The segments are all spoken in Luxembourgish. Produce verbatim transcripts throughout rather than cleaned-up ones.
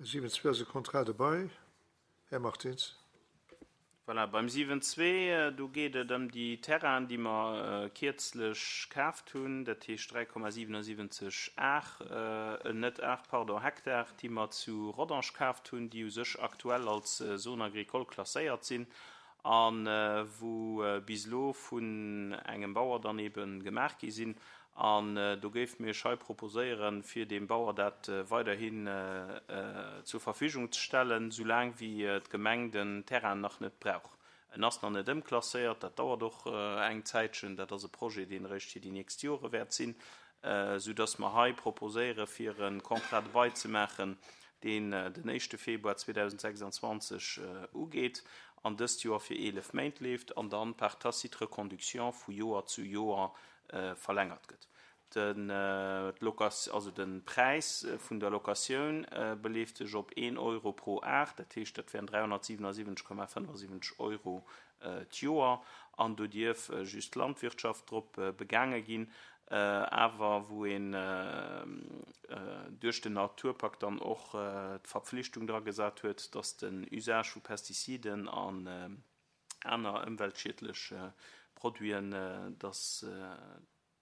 Siwen zwee ass e Contrat de bail. Här Martins. Voilà, beim siwen zwee, do geet et ëm déi Terrainen, déi mer kierzlech kaaft hunn, dat heescht dräi Komma siwenundsiwwenzeg Ar, net Ar, pardon, Hektar, déi mer zu Rodange kaaft hunn, déi u sech aktuell als Zone agricole klasséiert sinn a wou bis elo vun engem Bauer dann ebe gemaach gi sinn. An do géife mir iech hei proposéieren, fir deem Bauer dat weiderhin zur Verfügung ze stellen, soulaang wéi d'Gemeng den Terrain nach net brauch. En ass nach net ëmklasséiert, dat dauert och eng Zäitchen, dat ass e Projet, deen eréischt fir déi nächst Jore wäert sinn, soudass mer hei proposéieren, fir e Contrat de bail ze maachen, deen den éischte Februar zweedausendsechsundzwanzeg ugeet an dëst Joer fir eelef Méint leeft an dann par tacite reconduction vu Joer zu Joer verlängert gëtt. Den, d'Location, also de Präis vun der Locatioun beleeft sech op een Euro pro Ar, dat heescht, dat wären dräihonnertsiwenundsiwwenzeg Komma fënnefundsiwwenzeg Euro d'Joer, an do dierf just d'Landwirtschaft drop begaange ginn, awer wou een duerch den Naturpakt dann och d'Verpflichtung dra gesat huet, dass den Usage vu Pestiziden an aner ëmweltschiedlech Produiten, dass,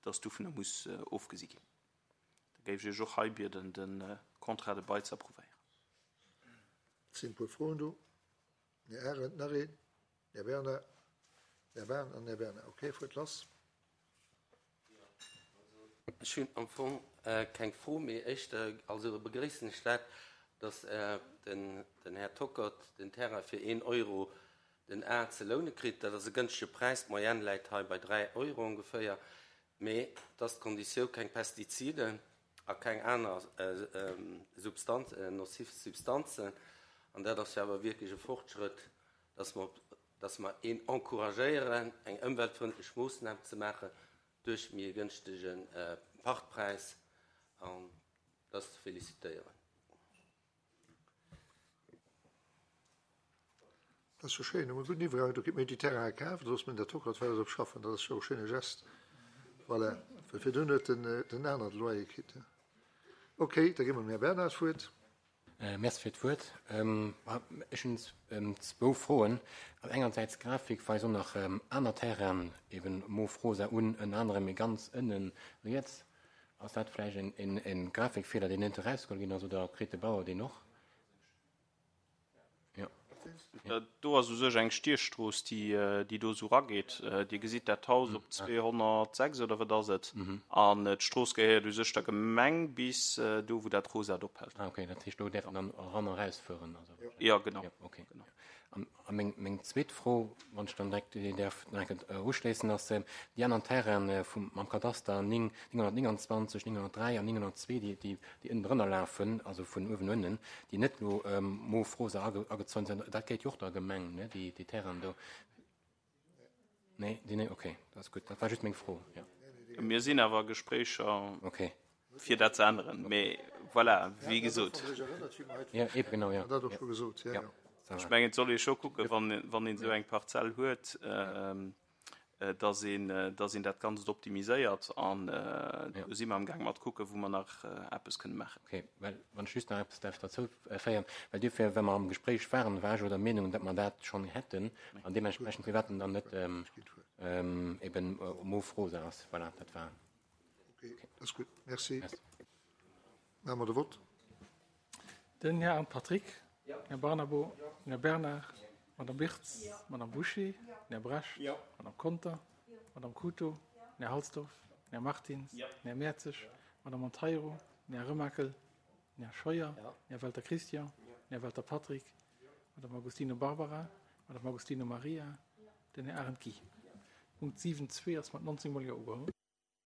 dass dovunner muss ofgesi ginn. Da géif ech Iech och hei bieden, de Contrat de bail ze approuvéieren. Et sinn e puer Froen do. Här Arendt, nach een. Här Bernard, Här Bahn an Här Bernard. Okay, fuert lass. Ech hunn am Fong keng Fro, mee éischter also begréissen ech dat, dass den Här Tockert den Terrain fir een Euro den Ar ze loune kritt. Dat ass e gënschtege Präis, d'Moyenne läit hei bei dräi Euro ongeféier, mee et ass d'Konditioun, keng Pestiziden a keng aner Substanz, nocif Substanzen. An dat ass jo awer wierklech e Fortschrëtt, dass mer, dass mer een encouragéieren, eng ëmweltfrëndlech Moossnam ze maachen duerch méi e gënschtege Pachtpräis. An dat ass ze félicitéieren. Dat ass jo schéin, hu mer e gudden Iwwergang. Do kritt mir déi Terraine kaf, da loosse mir den Här Tockert weider drop schaffen. Dat ass jo e schéine Gest. Voilà, well virdrun huet den, den aneren de Loyer kritt. Okay, da gi mer dem Här Bernard d'Wuert. Merci fir d'Wuert. Ech hunn zwou Froen. Engersäits d'Grafik weist och nach aner Terrainen, eben Mof rosa un, ënner anerem mee ganz ënnen riets. Ass dat vläicht e Grafikfeeler, deen net erausgeholl ginn ass, oder kritt de Bauer deen och? Jo. Do ass u sech eng Stiechstrooss, déi do esou erageet. Dir gesitt dat Haus op zweehonnertsechs oder wat ass et? An d'Strooss gehéiert u sech der Gemeng bis do, wou dat Rosat ophält. Ah, okay, dat heescht, do däerf een dann eran a erausfueren? Jo, genau. Jo, okay. A meng, meng zweet Fro, wann ech dann direkt déi däerf nach eng Kéier uschléissen, ass déi aneren Terraine vum, mam Kadaster néng, nénghonnertnéngandzwanzeg, nénghonnertdräi an nénghonnertzwee, déi, déi, déi ënnendrënner lafen, also vun uewen no ënnen, déi net elo mof rosa agezäunt sinn, dat gehéiert jo och der Gemeng, ne, déi, déi Terrainen do. Nee, déi net, okay, dat ass gutt. Dat war just meng Fro, jo. Mir sinn awer a Gespréicher. Okay. Fir dat ze änneren. Mee voilà, wéi gesot. Ja, eben, genau, ja. Dat och scho gesot, ja, ja. Ech mengen, et soll ee scho kucken, wann, wann een esou eng Parzell huet, dass een, dass een dat Ganzt optimiséiert. An do si mer amgaang mat kucken, wou mer nach eppes kënne maachen. Okay, well wann ech just nach eppes däerf derzou féieren, well duerfir, well mer am Gespréich waren, war ech jo der Meenung, datt mer dat schonn hätten an deementsprechend firwat en dann net eben mof rosa ass. Voilà, dat war. Okay, dat ass gutt. Merci. Maache mer de Vott. Den Här Arndt Patrick, Här Barnabo, Här Bernard, Madame Birtz, Madame Bouché, Här Brecht, Madame Conter, Madame Couto, Här Halsdorf, Här Martins, Här Mertzig, Madame Monteiro, Här Remakel, Här Scheuer, Här Welter Christian, Här Welter Patrick, Madame Agostino Barbara, Madame Agostino Maria, den Här Arendt Guy. Punkt siwen zwee ass mat neunzehn Mol Jo ugeholl.